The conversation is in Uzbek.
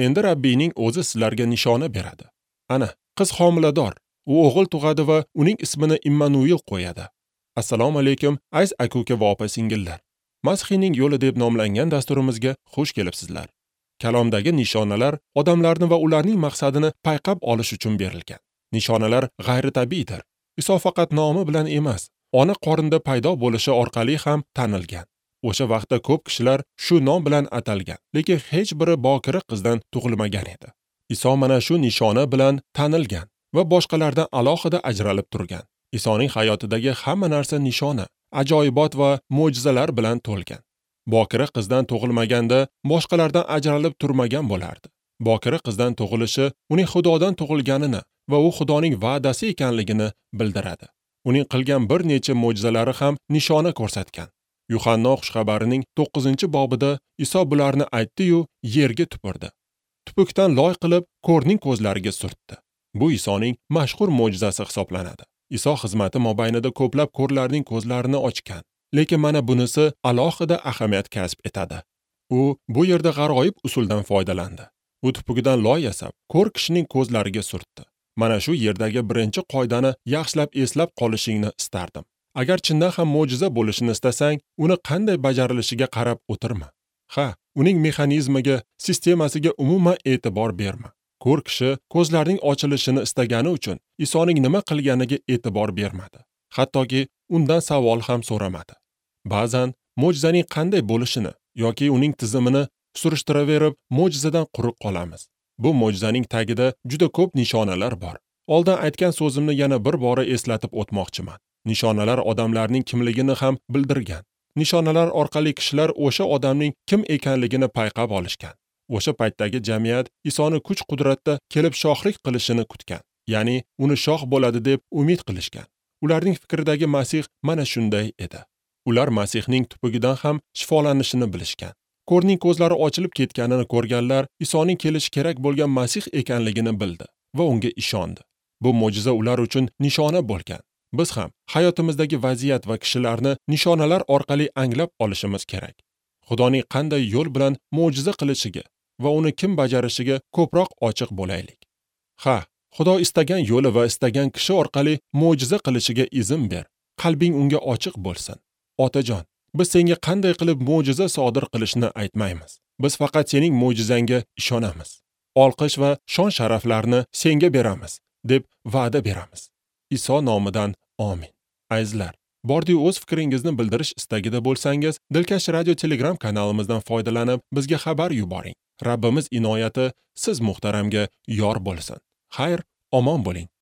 Endi Rabbiyning o'zi sizlarga nishona beradi. Ana, qiz homilador, u o'g'il tug'adi va uning ismini Immanuel qo'yadi. Assalomu alaykum, aziz aka-uka va opa-singillar. Masihning yo'li deb nomlangan dasturimizga xush kelibsizlar. Kalomdagi nishonalar odamlarni va ularning maqsadini payqab olish uchun berilgan. Nishonalar g'ayritabiiydir. Iso faqat nomi bilan emas, ona qorinda paydo bo'lishi orqali ham tanilgan. O'sha vaqtda ko'p kishilar shu nom bilan atalgan, lekin hech biri bokira qizdan tug'ilmagan edi. Iso mana shu nishona bilan tanilgan va boshqalardan alohida ajralib turgan. Isoning hayotidagi hamma narsa nishona, ajoyibot va mo'jizalar bilan to'lgan. Bokira qizdan tug'ilmaganda boshqalardan ajralib turmagan bo'lardi. Bokira qizdan tug'ilishi uning Xudodan tug'ilganini va u Xudoning va'dasi ekanligini bildiradi. Uning qilgan bir necha mo'jizalari ham nishona ko'rsatgan. Yuhanno xushxabarining 9-bobida Iso bularni aytdi-yu, yerga tupurdi. Tupukdan loy qilib, ko'rning ko'zlariga surtdi. Bu Isoning mashhur mo'jizasi hisoblanadi. Iso xizmati mobaynida ko'plab ko'rlarning ko'zlarini ochgan. Lekin mana bunisi alohida ahamiyat kasb etadi. U bu yerda g'aroyib usuldan foydalandi. U tupugidan loy yasab, ko'r kishining ko'zlariga surtdi. Mana shu yerdagi birinchi qoidani yaxshilab eslab qolishingni istardim. Agar chindan ham mo'jiza bo'lishini istasang, uni qanday bajarilishiga qarab o'tirma. Ha, uning mexanizmiga, sistemasiga umuman e'tibor berma. Ko'r kishi ko'zlarining ochilishini istagani uchun Isoning nima qilganiga e'tibor bermadi. Hattoki undan savol ham so'ramadi. Ba'zan mo'jizaning qanday bo'lishini yoki uning tizimini surishtiraverib, mo'jizadan quruq qolamiz. Bu mo'jizaning tagida juda ko'p nishonalar bor. Oldin aytgan so'zimni yana bir bora eslatib o'tmoqchiman. Nishonalar odamlarning kimligini ham bildirgan. Nishonalar orqali kishilar o'sha odamning kim ekanligini payqab olishgan. O'sha paytdagi jamiyat Isoni kuch-qudratda kelib shohlik qilishini kutgan. Ya'ni uni shoh bo'ladi deb umid qilishgan. Ularning fikridagi Masih mana shunday edi. Ular Masihning tupugidan ham shifolanishini bilishgan. Ko'rning ko'zlari ochilib ketganini ko'rganlar Isoning kelishi kerak bo'lgan Masih ekanligini bildi va unga ishondi. Bu mo'jiza ular uchun nishona bo'lgan. Biz ham hayotimizdagi vaziyat va kishilarni nishonalar orqali anglab olishimiz kerak. Xudoning qanday yo'l bilan mo'jiza qilishiga va uni kim bajarishiga ko'proq ochiq bo'laylik. Ha, Xudo istagan yo'li va istagan kishi orqali mo'jiza qilishiga izn ber. Qalbing unga ochiq bo'lsin. Otajon, biz senga qanday qilib mo'jiza sodir qilishni aytmaymiz. Biz faqat sening mo'jizangga ishonamiz. Olqish va shon-sharaflarni senga beramiz, deb va'da beramiz. Iso nomidan amin. Azizlar, bordi-yu o'z fikringizni bildirish istagida bo'lsangiz, Dilkash Radio Telegram kanalimizdan foydalanib, bizga xabar yuboring. Rabbimiz inoyati siz muhtaramga yor bo'lsin. Xayr, omon bo'ling.